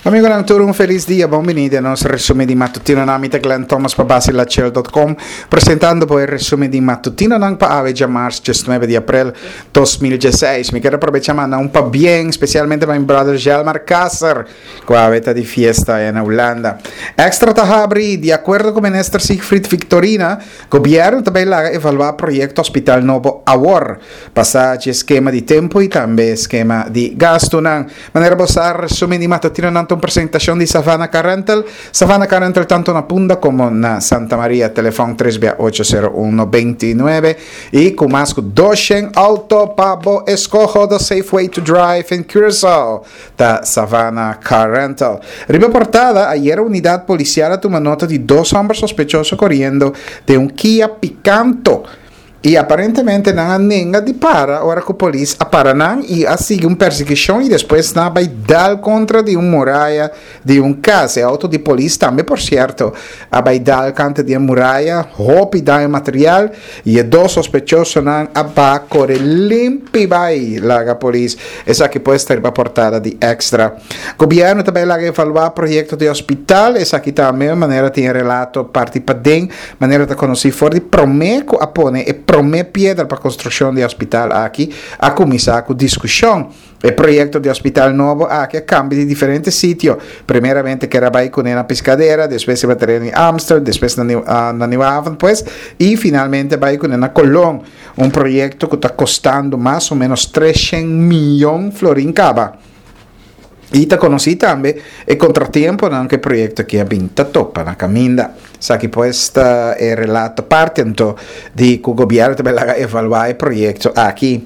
Amigonan tur un felis dia, bon bini den nos resumen di matutinonan. Mi ta Glenn Thomas pa basilachel.com presentando bo e resumen di matutinonan pa awe djamars 19 di aprel 2016. Mi ker aprobecha manda un pabien spesialmente pa mi brother Jelmar Kasser ku awe ta di fiesta aya na Hulanda. Extra ta habri, di akuerdo ku minister Siegfried Victorina, gobierno ta bay laga evalua proyekto hospital nobo awor. Pasa dje skema di tempu i tambe skema di gastunan. Manera bo sa, resumen di matutinonan ta un presentashon di Savannah Car Rental. Savannah Car Rental tantu na Punda komo na Santa Maria. Telefòn tres bia ocho sero un 99 i ku mas ku doshen outo pa bo eskoho. The safe way to drive in Curaçao ta Savannah Car Rental. Riba portada, ayera unidat polisial a tuma nota di dos hòmber sospechoso koriendo den un Kia Picanto. I aparentemente nan a nenga di para ora ku polis a para nan i a sigui un persiguishon i despues nan a bai dal kontra di un muraya di un kas. E outo di polis tambe por sierto a bai dal kanta di e muraya, hopi daño material i e dos sospechosonan a ba kore limpi bai laga polis. Esaki pues ta riba portada di Extra. Gobièrnu ta bai laga evaluá proyekto di hospital, esaki tambe manera tin e relato parti paden. Manera ta konosí for di promé ku a pone e promé piedra pa konstrukshon di e hospital aki, a kuminsá ku diskushon. E proyekto di hospital nobo aki a kambia di diferente sitio. Primeramente ker a bai kuné na Piscadera, despues riba tereno di Amstel, despues na na Nieuwe Haven pues, i finalmente a bai kuné na Colon. Un proyekto ku ta kostando mas o ménos treshen miyon florin kaba. I ta konosí tambe e kontratiemponan ku e proyekto aki a bin ta topa na kaminda. Esaki pues ta e relato parti anto di ku gobièrnu ta bai laga evaluá e proyekto aki.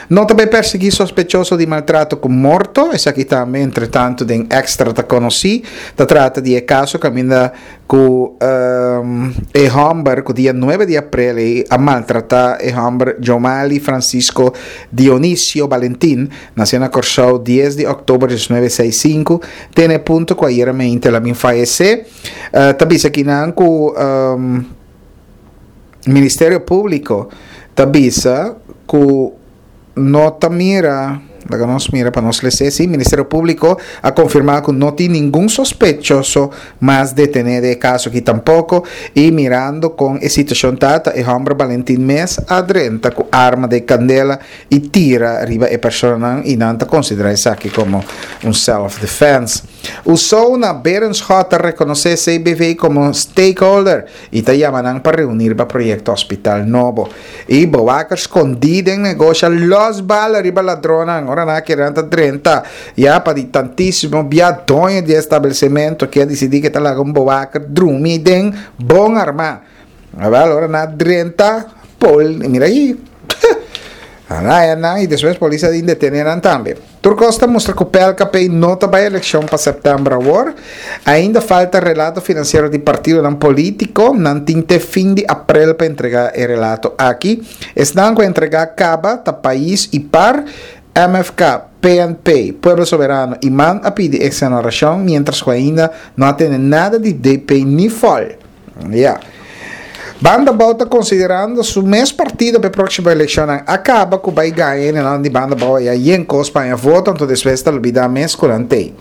No ta bai persiguí sospechoso di maltrato ku morto, esaki tambe entretantu den Extra ta konosí. Ta trata di e kaso kaminda ku e hòmber ku dia nuebe di aprel ei a maltratá e hòmber Jomali Francisco Dionisio Balentin, Nació na Kòrsou dies di òktober diesnuebe seis sinku, te na e punto ku ayera mente el a bin fayesé. Ta bisa kinan ku Ministerio Públiko ta bisa ku no ta mira, laga nos mira pa nos les'é, sí, Ministerio Públiko a konfirmá ku no tin ningun sospechoso mas detené den e kaso aki tampoko i mirando kon e situashon ta, ta e hòmber Balentin mes a drenta ku arma den kandela i tira riba e personanan i nan ta konsiderá esaki komo un self defense. Usona Berenschot ta rekonosé CBV komo stakeholder i ta yama nan pa reuní riba proyekto hospital nobo. I bewaker skondí den negosha lòs bala riba ladronnan ora nan a kere nan ta drenta ya pa di tantísimo bia doño di e establesimento ke a disidí ke ta laga un bewaker drumi den bon armá. Awel ora nan a drenta pol mira ahi nan a haya nan y despues polis a bin detene nan tambe. Tur cos ta mustra cu PLKP no ta bay eleccion pa september awor. Ainda falta relato financiero di partidonan politico. Nan tin te fin di april pa entrega e relato aki. Esnan cu a entrega caba ta Pais y par, MFK, PNP, Pueblo Soberano y man a pidi exoneracion mientras cu ainda no a tene nada di DP ni fol. Ya. Banda Bou ta konsiderando su mes partido pa e próksimo elekshonnan. A kaba ku bai gaña hendenan di Banda Bou ya yen kos pa haña voto, anto despues ta lubidá mes ku nan tei.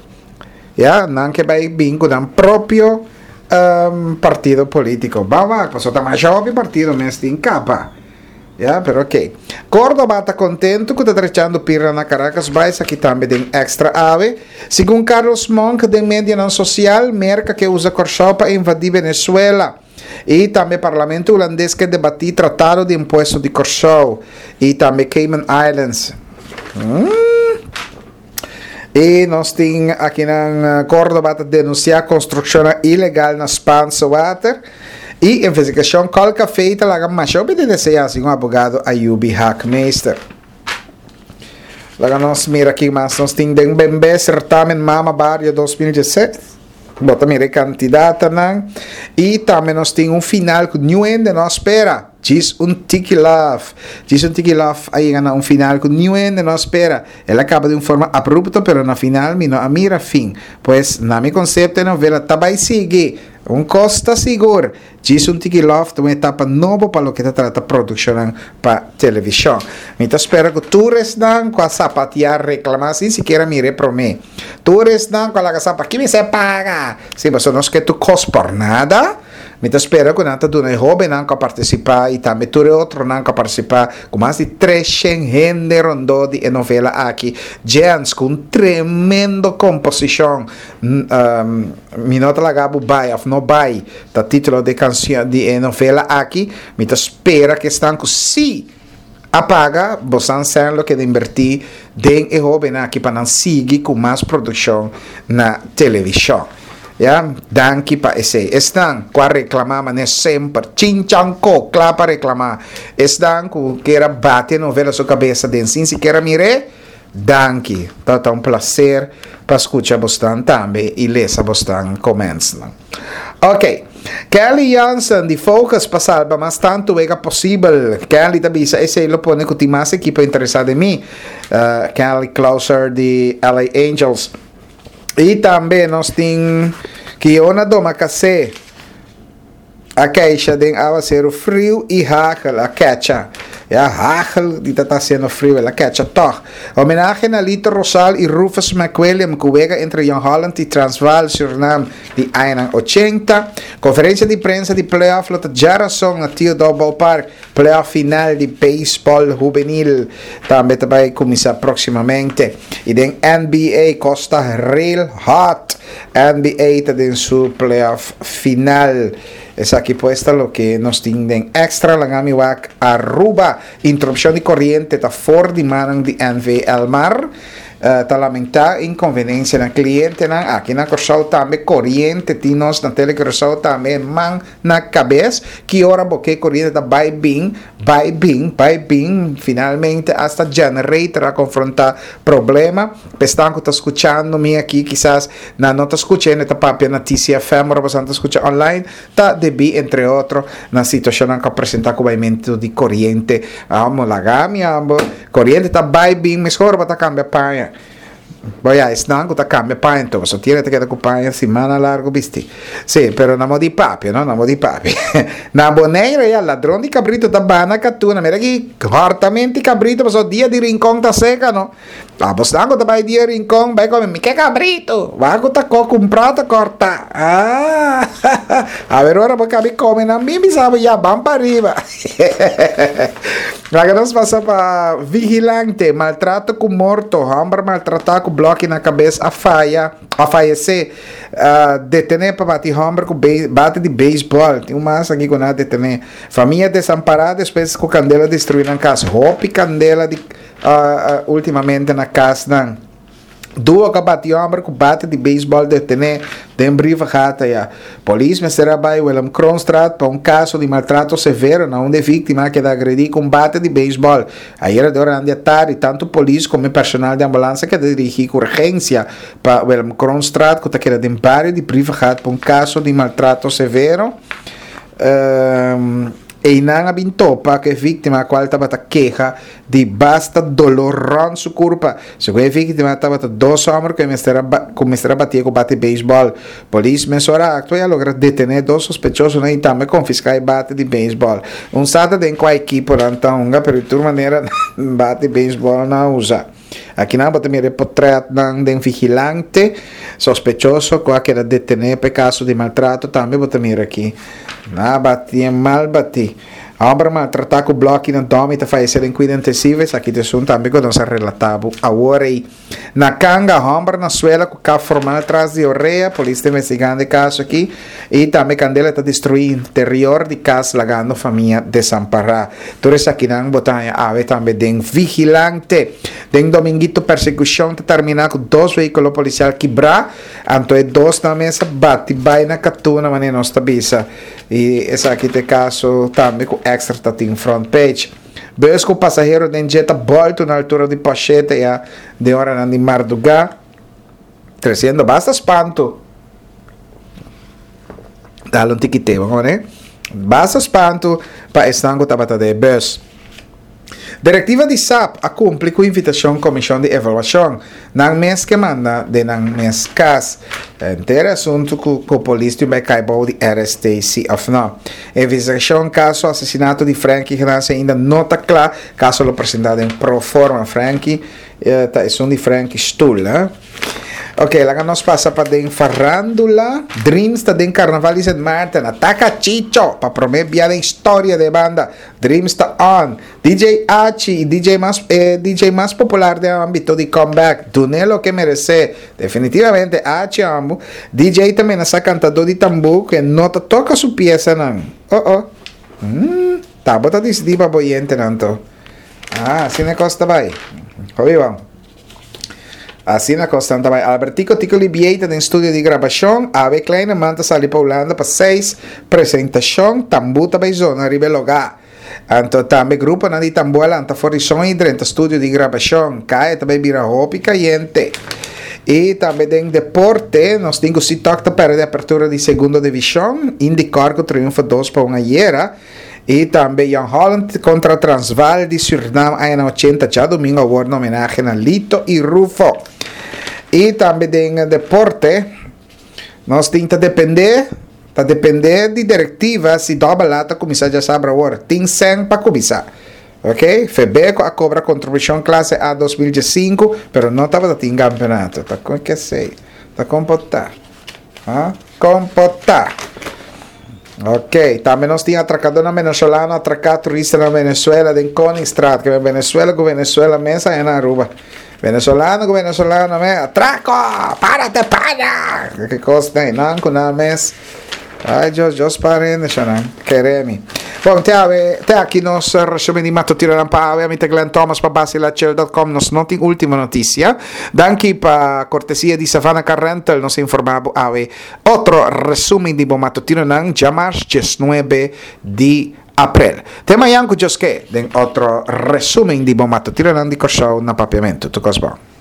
Ya, nan ke bai bin ku nan propio partido polítiko. Ban wak, pasobra ta masha hopi partido mes tin kaba. Ya, pero ok. Córdoba ta contento cu ta drechando pirna na Caracas Bai, esaki tambe den Extra awe. Segun Carlos Monk den medianan social, Merca ke usa Corsou pa invadi Venezuela. Y tambe Parlamento Hulandes ke debati tratado di impuesto di Corsou y tambe Cayman Islands. Y nos tin akinan Córdoba ta denuncia construccionnan ilegal na Spaanse Water. Y investigacion Col Café ta laga masha hopi di desea, segun abogado Ayubi Haakmeester. Laga nos mira ki mas nos tin den Bembe Certamen Mama Barrio 2016. Bo ta mira e candidatanan. Y tambe nos tin un final cu niun hende no a spera. Djis un tiki love. Djis un tiki love a yega na un final cu niun hende no a spera. El a caba di un forma abrupto pero na final mi no a mira fin. Pues na mi concepto e novela ta bay sigui. Un kos ta sigur, djis un tiki lòf ta un etapa nobo pa loke ta trata produkshonnan pa televishon. Mi ta spera ku tur esnan ku a sapatiá reklamá sin sikiera mira e promé. Tur esnan ku a laga sa pa ki mester paga? Sí, pasobra nos ke tur kos por nada. Mi ta spera ku nan ta duna e hóbennan ku a partisipá i tambe tur e otronan ku a partisipá ku mas di treshen hende rondó di e novela aki. Jens ku un tremendo komposishon Mi no ta laga bo bai òf no bai ta título di e kanshon di e novela aki. Mi ta spera ku esnan ku sí a paga bosan sèn lo keda inbertí den e hóbennan aki pa nan sigui ku mas produkshon na televishon. Ya, danki pa esei. Esnan ku a reklamá manera semper, chinchanko, kla pa reklamá. Esnan ku kier a bati e novela su kabesa den sin sikiera mir'é, danki. Tabata un plaser pa skucha bosnan tambe i lesa bosnan komentsnan. Ok, Kelly Jansen di Focus pa salba mas tantu wega posibel. Kelly ta bisa esei lo pone ku tin mas ekipo interesá den mi. Kelly Closer di LA Angels. I tambe nos tin Kiona Domacassé a keisha den awaseru friu i hagel a kecha. Ya hagel di ta ta hasiendo friu, el a kecha tog. Homenahe na Lito Rosal i Rufus McWilliam ku wega entre Jong Holland i Transvaal Surinam di añanan ochenta. Konferensia di prensa di playoff lo ta djarason na Theodore Ballpark. Playoff final di beisbòl hubenil tambe ta bai kuminsá próksimamente. I den NBA kos ta real hot. NBA ta den su playoff final. Esaki pues ta loke nos tin den Extra. Laga mi wak Aruba. Interupshon di koriente ta for di mannan di NV Elmar. Ta lamentá inkonvenensia na klientenan. Aki na Kòrsou tambe koriente tin nos na Tele Curaçao tambe man na kabes, ki ora bo ke koriente ta bai bin, bai bin, bai bin, finalmente hasta generator a konfrontá problema. P'esnan ku ta skuchando mi aki kisas nan no ta skucha hende ta papia na TCFM ora boso nan ta skucha online, ta debí entre otro na situashonnan ku a presentá ku baimentu di koriente. Amo laga mi amo, koriente ta bai bin meskor bo ta kambia paña. Bo ya, esnan ku ta kambia paña enton, pasobra tiene ta keda ku paña simana largu bisti. Sí, pero na modi papia, no, na modi papia. Na Bonaire ya, ladron di kabrito ta bana katuna. Mira aki, hòrtamenti kabrito, pasobra dia di Rincon ta seka, no. Abosnan ku ta bai dia Rincon, bai kome, mi ke kabrito. Wak ku ta ko kumprá ta kòrtá. Ah, aver ora bo kabi kome nan bin bisa bo, ya, ban pa riba. Laga nos pasa pa vigilante, maltrato ku morto, hòmber maltratá ku blòki na kabes a faya, a fayesé, detené pa bati hòmber ku bate di beisbòl, tin un mas aki ku nan a detené. Famia desampará despues ku kandela destruí nan kas, hopi kandela di ultimamente na kasnan. Duo ka bati homber ku bate di beisbòl detené den Brievengat aya. Polis mester a bai Willem Kroonstraat pa un kaso di maltrato severo na unda e víktima a keda agredí ku un bate di beisbòl. Ayera durante di atardi tantu polis komo e personal di ambulans a keda dirigí ku urgensia pa Willem Kroonstraat ku ta keda den bario di Brievengat pa un kaso di maltrato severo. Einan a bin topa ku e víktima kual tabata keha di basta dolor rond su curpa. Segun e victima tabata dos homber cu e mester a cu mester a batie cu bate baseball. Polis mesora a actua y a logra detene dos sospechosonan y tambe confisca e bate di baseball. Un sa ta den cua equiponan ta hunga pero di tur manera nan bate baseball nan a usa. Akinan bo ta mira e potretnan den vigilante sospechoso cu a keda detene pa e caso di maltrato tambe bo ta mira aki. Nan a bati e mal bati. Homber maltratá ku blòki na dòmi ta fayesé den kuido intensivo, esaki ta esun tambe ku nos a relatá bo awor ei. Na Kanga, homber na suela ku kap formal tras di orea, polis ta investigando e kaso aki i tambe kandela ta destruí interior di kas lagando famia desampará. Tur esakinan bo ta haña awe tambe den Vigilante. Den Dominguito persekushon ta terminá ku dos vehíkulo polisial kibrá, anto e dosnan mes a bati bai na katuna manera nos ta bisa. I esaki ta e kaso tambe ku Extra ta tin front page. Bus ku pasahero den dje ta bòltu na altura di Pòshete ya den oranan di mardugá, tresiendo basta spantu. Dal un tiki tema, komo ne? Basta spantu pa esnan ku tabata den e bus. Direktiva di sap a kumpli ku invitashon Komishon di Evaluashon. Nan mes ke manda den nan mes kas. Henter e asuntu ku ku polis tin bai kai bou di RST si òf no. Investigashon kaso asesinato di Franky Ignacio ainda no ta kla. Kaso lo presentá den pro forma. Franky ta esun di Franky Stoel, hè. Ok, laga nos pasa pa den farándula. Dreams ta den Carnaval di Sint Maarten. Ataka Chicho pa promé bia den historia di e banda. Dreams ta on. DJ Achi y DJ mas e DJ mas popular den ambito di comeback. Dun'é loke meresé. Definitivamente Achi ambu. DJ ta menasá kantadó di tambú ku e no ta toka su piesanan. Oh oh. Mm, ta bo ta disidí pa bo yentenan to. Ah, asina e kos ta bai. Hopi bon. Asina kosnan ta bai. Albertico Tico Libiey ta den studio di grabashon. Awe Kleineman ta sali pa Hulanda pa seis presentashon. Tambú ta bai zona riba e logá. Anto tambe gruponan di tambú a lanta for di son i drenta studio di grabashon. Kaya ta bai bira hopi kayente. I tambe den deporte nos tin ku Sitok ta pèrdè apertura di segundo divishon. Indikor ku triunfo 2-1 ayera. I tambe Jong Holland kontra Transvaal di Surnam añanan ochenta djadumingu awor na homenahe na Lito i Rufo. I tambe den deporte nos tin ta depende ta depende di direktiva si Dobbel A ta kuminsá djasabra awor. Tin sèn pa kuminsá. Ok, Febeko a kobra kontribushon klase A 2015 pero no tabata tin kampeonato. Ta kon kesei? Ta kon por ta? Ha? Kon por ta? Ok, tambe nos tin atracadornan venezolano atraca turistanan Venezuela den Koningstraat. Ke Venezuela ku Venezuela mes aña na Aruba. Venezolano ku venezolano mes, atraco! Párate pana! Ke kos nei, nan ku nan mes. Ay Dios, Dios pare hende shanan. Kere mi. Bon, te awe, te aki nos resumen di matutinonan pa awe. Ami ta Glenn Thomas pa basilachel.com. Nos no tin ultimo noticia. Danki pa cortesia di Savannah Car Rental. Nos a informa bo awe otro resumen di bo matutinonan djamars 19 di aprel. Te mañan cu Dios ke den otro resumen di bo matutinonan di Kòrsou na Papiamentu. Tur kos bon.